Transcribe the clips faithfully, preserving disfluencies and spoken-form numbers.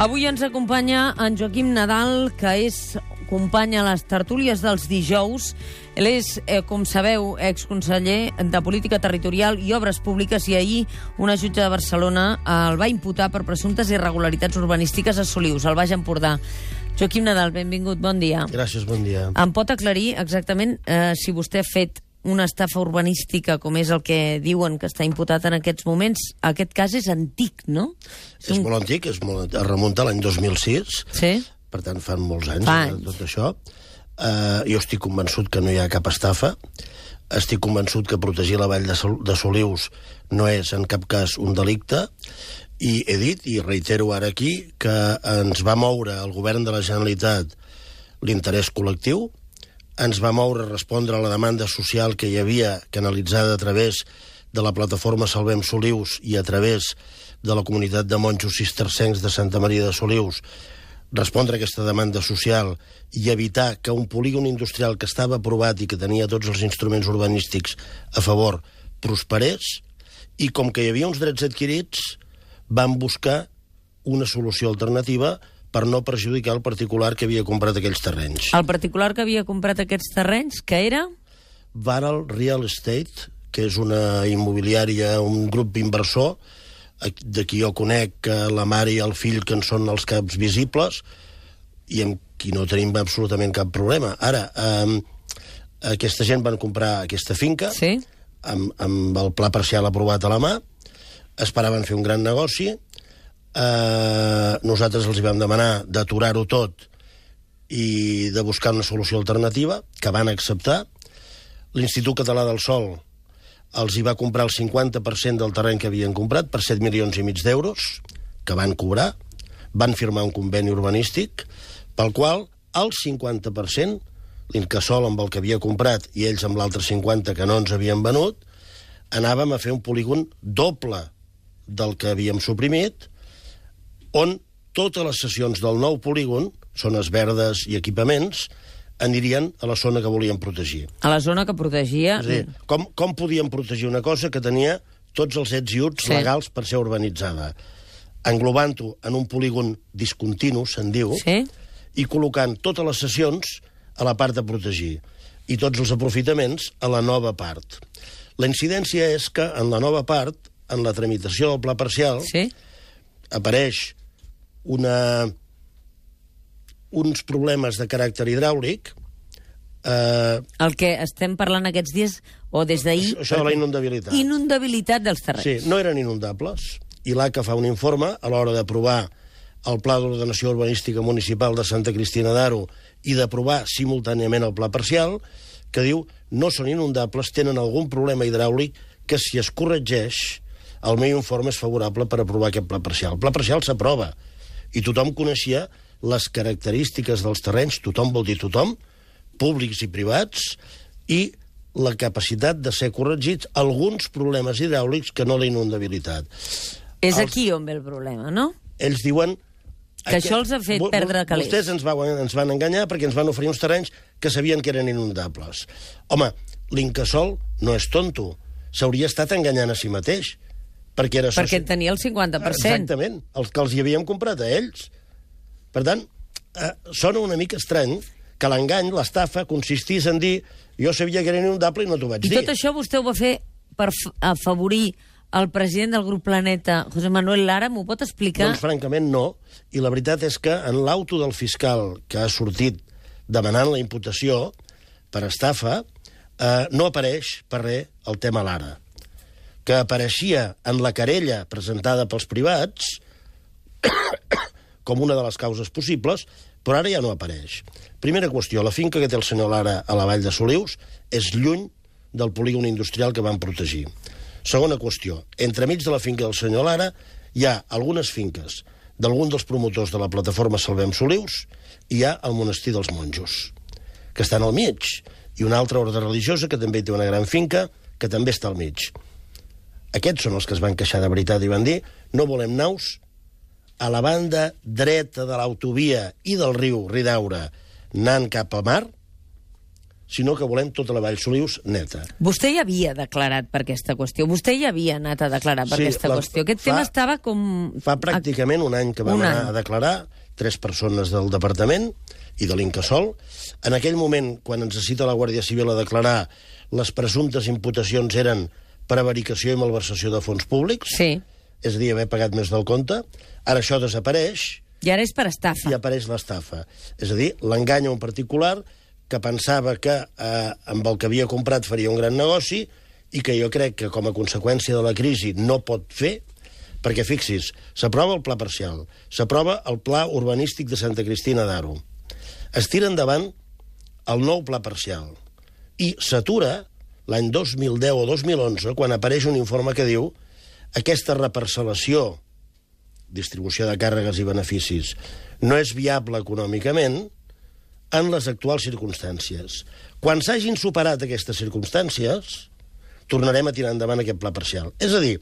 Avui ens acompanya en Joaquim Nadal, que és company a les tertúlies dels dijous. Ell és, eh, com sabeu, exconseller de Política Territorial i Obres Públiques, i ahir una jutge de Barcelona el va imputar per presumptes irregularitats urbanístiques a Solius, al Baix Empordà. Joaquim Nadal, benvingut, bon dia. Gràcies, bon dia. Em pot aclarir exactament eh, si vostè ha fet una estafa urbanística, com és el que diuen que està imputat en aquests moments? Aquest cas és antic, no? És molt antic, és molt, es remunta a l'any dos mil sis, sí? Per tant fan molts anys, Fa eh, anys. tot això. Uh, jo estic convençut que no hi ha cap estafa, estic convençut que protegir la vall de, Sol de Solius no és en cap cas un delicte, i he dit, i reitero ara aquí, que ens va moure el govern de la Generalitat l'interès col·lectiu, ens va moure a respondre a la demanda social que hi havia canalitzada a través de la plataforma Salvem Solius i a través de la comunitat de monjos cistercencs de Santa Maria de Solius, respondre a aquesta demanda social i evitar que un polígon industrial que estava aprovat i que tenia tots els instruments urbanístics a favor prosperés, i com que hi havia uns drets adquirits, van buscar una solució alternativa per no perjudicar el particular que havia comprat aquells terrenys. El particular que havia comprat aquests terrenys, que era? Varal Real Estate, que és una immobiliària, un grup inversor, de qui jo conec que la mare i el fill que en són els caps visibles, i amb qui no tenim absolutament cap problema. Ara, eh, aquesta gent van comprar aquesta finca, sí? amb, amb el pla parcial aprovat a la mà, esperaven fer un gran negoci, eh, nosaltres els vam demanar d'aturar-ho tot i de buscar una solució alternativa, que van acceptar. L'Institut Català del Sòl els hi va comprar el cinquanta per cent del terreny que havien comprat per set milions i mig d'euros, que van cobrar, van firmar un conveni urbanístic, pel qual el cinquanta per cent, l'Incasòl amb el que havia comprat i ells amb l'altre cinquanta que no ens havien venut, anàvem a fer un polígon doble del que havíem suprimit, on totes les sessions del nou polígon, zones verdes i equipaments, anirien a la zona que volíem protegir. A la zona que protegia... És a dir, com, com podíem protegir una cosa que tenia tots els ets i uts sí. legals per ser urbanitzada? Englobant-ho en un polígon discontinu, se'n diu, sí? I col·locant totes les sessions a la part de protegir i tots els aprofitaments a la nova part. La incidència és que en la nova part, en la tramitació del pla parcial, sí? apareix una... uns problemes de caràcter hidràulic. Eh... El que estem parlant aquests dies, o des d'ahir... Això, això de la inundabilitat. Inundabilitat dels terrenys. Sí, no eren inundables. I l'A C A fa un informe a l'hora d'aprovar el Pla d'Ordenació Urbanística Municipal de Santa Cristina d'Aro i d'aprovar simultàniament el pla parcial, que diu no són inundables, tenen algun problema hidràulic que, si es corregeix, el meu informe és favorable per aprovar aquest pla parcial. El pla parcial s'aprova i tothom coneixia les característiques dels terrenys, tothom vol dir tothom, públics i privats, i la capacitat de ser corregits alguns problemes hidràulics que no la inundabilitat. És Els... aquí on ve el problema, no? Ells diuen... Que aquest... això els ha fet perdre calés. Vostès ens van, ens van enganyar perquè ens van oferir uns terrenys que sabien que eren inundables. Home, l'Incasòl no és tonto. S'hauria estat enganyant a si mateix. Perquè, era perquè soci... tenia el cinquanta per cent. Exactament, els que els hi havíem comprat a ells. Per tant, eh, sona una mica estrany que l'engany, l'estafa, consistís en dir jo sabia que era inundable i no t'ho vaig I dir. I tot això vostè ho va fer per afavorir el president del grup Planeta, José Manuel Lara, m'ho pot explicar? Doncs francament no, i la veritat és que en l'auto del fiscal que ha sortit demanant la imputació per estafa, eh, no apareix per res el tema Lara, que apareixia en la querella presentada pels privats com una de les causes possibles, però ara ja no apareix. Primera qüestió, la finca que té el senyor Lara a la vall de Solius és lluny del polígon industrial que van protegir. Segona qüestió, entremig de la finca del senyor Lara hi ha algunes finques d'algun dels promotors de la plataforma Salvem Solius i hi ha el monestir dels monjos, que estan al mig, i una altra ordre religiosa que també té una gran finca que també està al mig. Aquests són els que es van queixar de veritat i van dir no volem naus a la banda dreta de l'autovia i del riu Ridaura anant cap a mar, sinó que volem tota la Vall Solius neta. Vostè ja havia declarat per aquesta qüestió. Vostè ja havia anat a declarar per Sí, aquesta la- qüestió. Aquest fa- tema estava com... Fa pràcticament un any que vam Un any. anar a declarar, tres persones del departament i de l'Incasòl. En aquell moment, quan ens cita la Guàrdia Civil a declarar, les presumptes imputacions eren prevaricació i malversació de fons públics, Sí. és a dir, haver pagat més del compte. Ara això desapareix I ara és per estafa. i apareix l'estafa. És a dir, l'engany a un particular que pensava que eh, amb el que havia comprat faria un gran negoci i que jo crec que com a conseqüència de la crisi no pot fer, perquè fixis, s'aprova el pla parcial, s'aprova el pla urbanístic de Santa Cristina d'Aro, es tira endavant el nou pla parcial i s'atura l'any dos mil deu o dos mil onze quan apareix un informe que diu aquesta reparcel·lació, distribució de càrregues i beneficis, no és viable econòmicament en les actuals circumstàncies. Quan s'hagin superat aquestes circumstàncies, tornarem a tirar endavant aquest pla parcial. És a dir,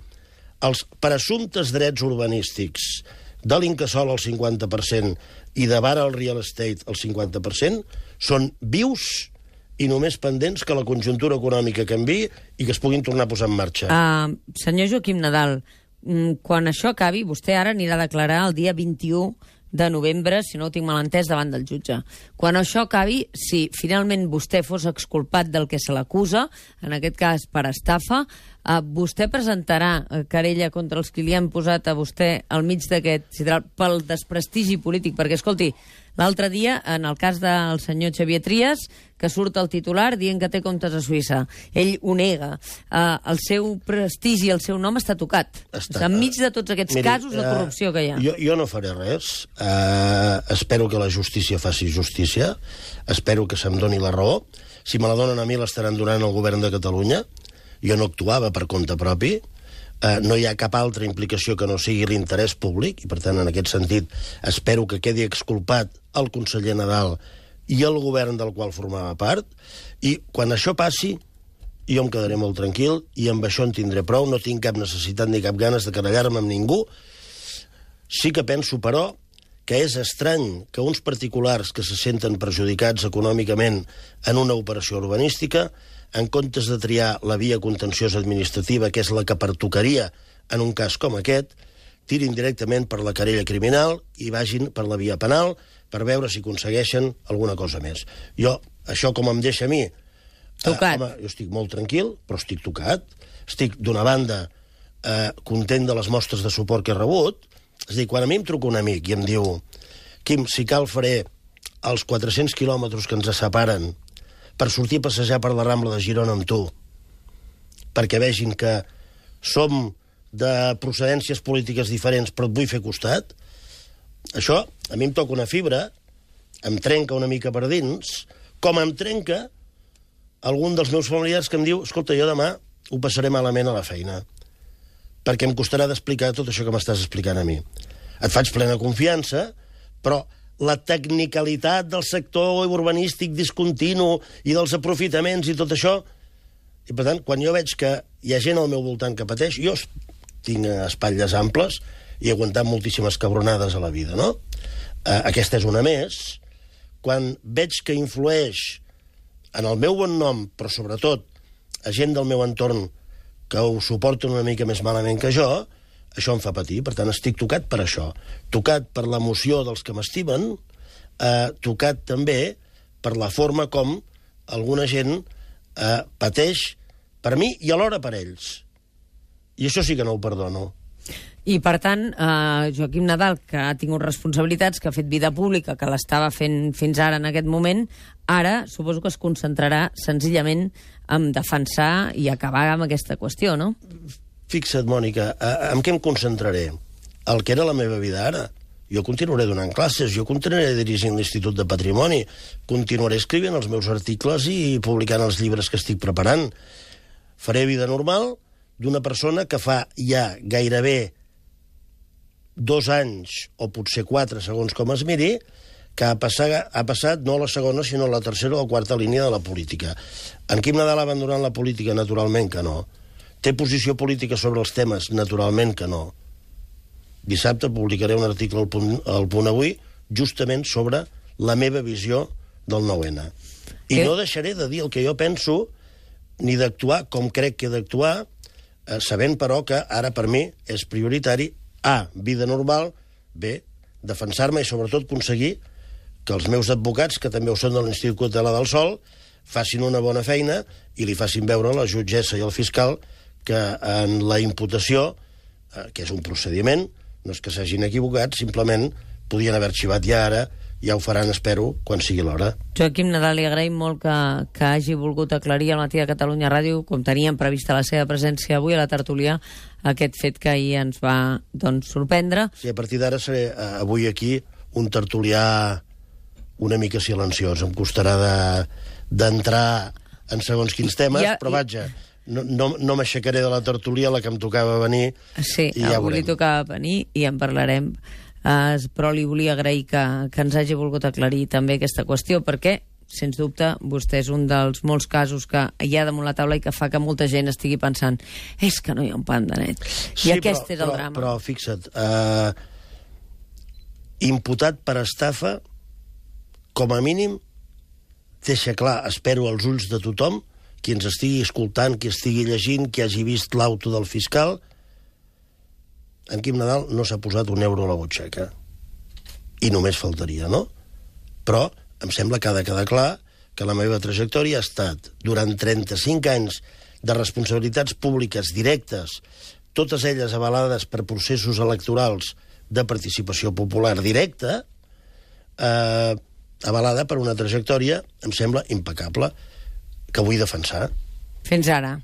els presumptes drets urbanístics de l'Incasòl al cinquanta per cent i de Vara al Real Estate al cinquanta per cent són vius i només pendents que la conjuntura econòmica canviï i que es puguin tornar a posar en marxa. Uh, senyor Joaquim Nadal, mm, quan això acabi, vostè ara anirà a declarar el dia vint-i-u de novembre, si no ho tinc mal entès, davant del jutge. Quan això acabi, si finalment vostè fos exculpat del que se l'acusa, en aquest cas per estafa, eh, vostè presentarà eh, querella contra els que li han posat a vostè al mig d'aquest sidral pel desprestigi polític, perquè, escolti, l'altre dia, en el cas del senyor Xavier Trias, que surt al titular dient que té comptes a Suïssa. Ell ho nega. Uh, el seu prestigi, el seu nom està tocat. Està. Enmig de tots aquests Miri, casos de corrupció que hi ha. Jo, jo no faré res. Uh, espero que la justícia faci justícia. Espero que se'm doni la raó. Si me la donen a mi, l'estaran donant al govern de Catalunya. Jo no actuava per compte propi. Uh, no hi ha cap altra implicació que no sigui l'interès públic, i per tant, en aquest sentit, espero que quedi exculpat el conseller Nadal i el govern del qual formava part, i quan això passi, jo em quedaré molt tranquil, i amb això en tindré prou, no tinc cap necessitat ni cap ganes de querellar-me amb ningú. Sí que penso, però, que és estrany que uns particulars que se senten perjudicats econòmicament en una operació urbanística, en comptes de triar la via contenciosa administrativa, que és la que pertocaria en un cas com aquest, tirin directament per la querella criminal i vagin per la via penal per veure si aconsegueixen alguna cosa més. Jo, això com em deixa a mi... Tocat. Eh, home, jo estic molt tranquil, però estic tocat. Estic, d'una banda, eh, content de les mostres de suport que he rebut. És a dir, quan a mi em truca un amic i em diu Quim, si cal faré els quatre-cents quilòmetres que ens separen per sortir a passejar per la Rambla de Girona amb tu, perquè vegin que som de procedències polítiques diferents, però et vull fer costat, això a mi em toca una fibra, em trenca una mica per dins, com em trenca algun dels meus familiars que em diu escolta, jo demà ho passaré malament a la feina, perquè em costarà d'explicar tot això que m'estàs explicant a mi. Et faig plena confiança, però la tecnicalitat del sector urbanístic discontinu i dels aprofitaments i tot això... I, per tant, quan jo veig que hi ha gent al meu voltant que pateix, jo tinc espatlles amples i he aguantat moltíssimes cabronades a la vida, no? Eh, aquesta és una més. Quan veig que influeix en el meu bon nom, però sobretot a gent del meu entorn que ho suporten una mica més malament que jo, això em fa patir. Per tant, estic tocat per això. Tocat per l'emoció dels que m'estimen, eh, tocat també per la forma com alguna gent eh, pateix per mi i alhora per ells. I això sí que no ho perdono. I, per tant, eh, Joaquim Nadal, que ha tingut responsabilitats, que ha fet vida pública, que l'estava fent fins ara en aquest moment, ara suposo que es concentrarà senzillament en defensar i acabar amb aquesta qüestió, no? Fixa't, Mònica, en què em concentraré? El que era la meva vida ara. Jo continuaré donant classes, jo continuaré dirigint l'Institut de Patrimoni, continuaré escrivint els meus articles i publicant els llibres que estic preparant. Faré vida normal d'una persona que fa ja gairebé dos anys, o potser quatre, segons com es miri, que ha passat, ha passat no a la segona, sinó a la tercera o la quarta línia de la política. En Quim Nadal ha abandonat la política? Naturalment que no. Té posició política sobre els temes? Naturalment que no. Dissabte publicaré un article al Punt, al Punt Avui justament sobre la meva visió del nou ene. I que... no deixaré de dir el que jo penso, ni d'actuar com crec que he d'actuar, eh, sabent, però, que ara per mi és prioritari, A, vida normal, B, defensar-me i, sobretot, aconseguir que els meus advocats, que també ho són de l'Institut Català del Sòl, facin una bona feina i li facin veure a la jutgessa i al fiscal que en la imputació, eh, que és un procediment, no és que s'hagin equivocat, simplement podien haver arxivat ja ara, ja ho faran, espero, quan sigui l'hora. Joaquim Nadal, li agraïm molt que, que hagi volgut aclarir al matí de Catalunya Ràdio, com teníem prevista la seva presència avui a la tertúlia, aquest fet que ahir ens va, doncs, sorprendre. Sí, a partir d'ara seré eh, avui aquí un tertulià una mica silenciós. Em costarà d'entrar de, en segons quins temes, ja, però vaja, no, no, no m'aixecaré de la tertúlia a la que em tocava venir. Sí, i ja avui li tocava venir i en parlarem. Uh, però li volia agrair que, que ens hagi volgut aclarir també aquesta qüestió, perquè, sens dubte, vostè és un dels molts casos que hi ha damunt la taula i que fa que molta gent estigui pensant és que no hi ha un pan de net. Sí, I aquest però, és el però, drama. Però fixa't, uh, imputat per estafa, com a mínim, deixa clar, espero, als ulls de tothom, qui ens estigui escoltant, qui estigui llegint, qui hagi vist l'auto del fiscal, en Quim Nadal no s'ha posat un euro a la butxaca. I només faltaria, no? Però em sembla que ha de quedar clar que la meva trajectòria ha estat, durant trenta-cinc anys de responsabilitats públiques directes, totes elles avalades per processos electorals de participació popular directa, eh, avalada per una trajectòria, em sembla, impecable, que vull defensar. Fins ara.